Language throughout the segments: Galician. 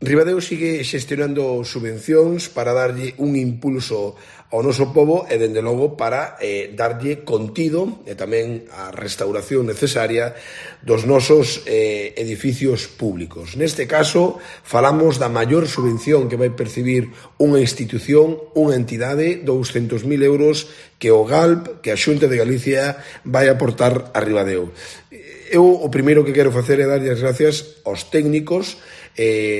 Ribadeo sigue xestionando subvencións para darlle un impulso ao noso pobo e, dende logo, para darlle contido e tamén a restauración necesaria dos nosos edificios públicos. Neste caso, falamos da maior subvención que vai percibir unha institución, unha entidade, 200.000 euros que o GALP, que a Xunta de Galicia, vai aportar a Ribadeo. Eu o primeiro que quero facer é darlle as gracias aos técnicos,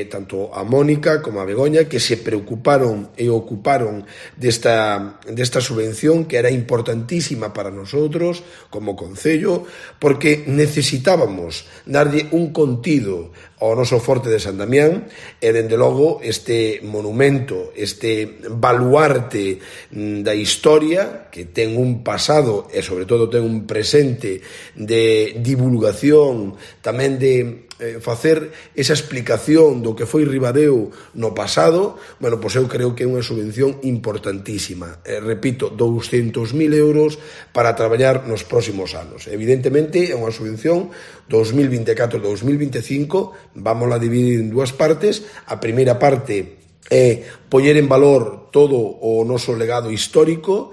tanto a Mónica como a Begoña, que se preocuparon e ocuparon desta subvención, que era importantísima para nosotros como concello, porque necesitábamos darlle un contido ao noso Forte de San Damián e, dende logo, este monumento, este baluarte da historia, que ten un pasado e, sobre todo, ten un presente de divulgación, tamén de facer esa explicación do que foi Ribadeo no pasado. Bueno, pois eu creo que é unha subvención importantísima. Repito, 200.000 euros para traballar nos próximos anos. Evidentemente, é unha subvención 2024-2025, vámola dividir en dúas partes. A primeira parte é poñer en valor todo o noso legado histórico,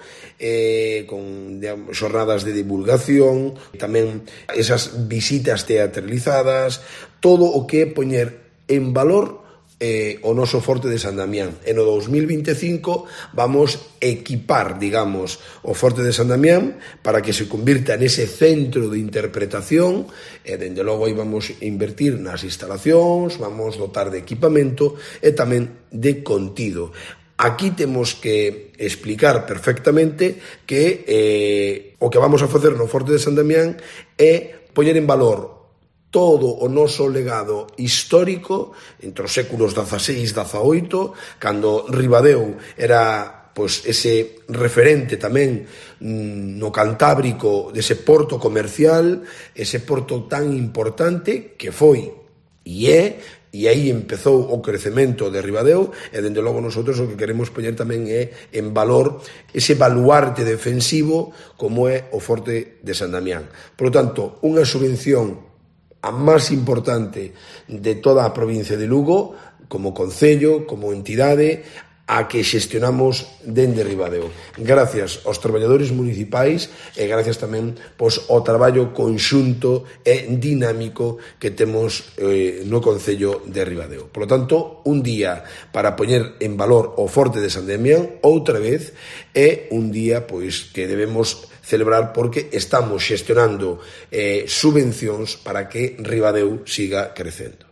con xornadas de divulgación, tamén esas visitas teatralizadas, todo o que é poñer en valor o noso Forte de San Damián. E no 2025 vamos equipar, digamos, o Forte de San Damián para que se convirta nese centro de interpretación e, dende logo, aí vamos invertir nas instalacións, vamos dotar de equipamento e tamén de contido. Aquí temos que explicar perfectamente que o que vamos a facer no Forte de San Damián é poñer en valor todo o noso legado histórico entre os séculos XVI e XVIII, cando Ribadeo era pois ese referente tamén no Cantábrico dese porto comercial, ese porto tan importante que foi e aí empezou o crecemento de Ribadeo, e, dende logo, nosotros o que queremos poñer tamén é en valor ese baluarte defensivo como é o Forte de San Damián. Por lo tanto, unha subvención a máis importante de toda a provincia de Lugo, como concello, como entidade, a que xestionamos dende Ribadeo. Gracias aos traballadores municipais e gracias tamén ao traballo conxunto e dinámico que temos no concello de Ribadeo. Por lo tanto, un día para poñer en valor o Forte de San Damián, outra vez, é un día pois que debemos celebrar porque estamos xestionando subvencións para que Ribadeo siga crecendo.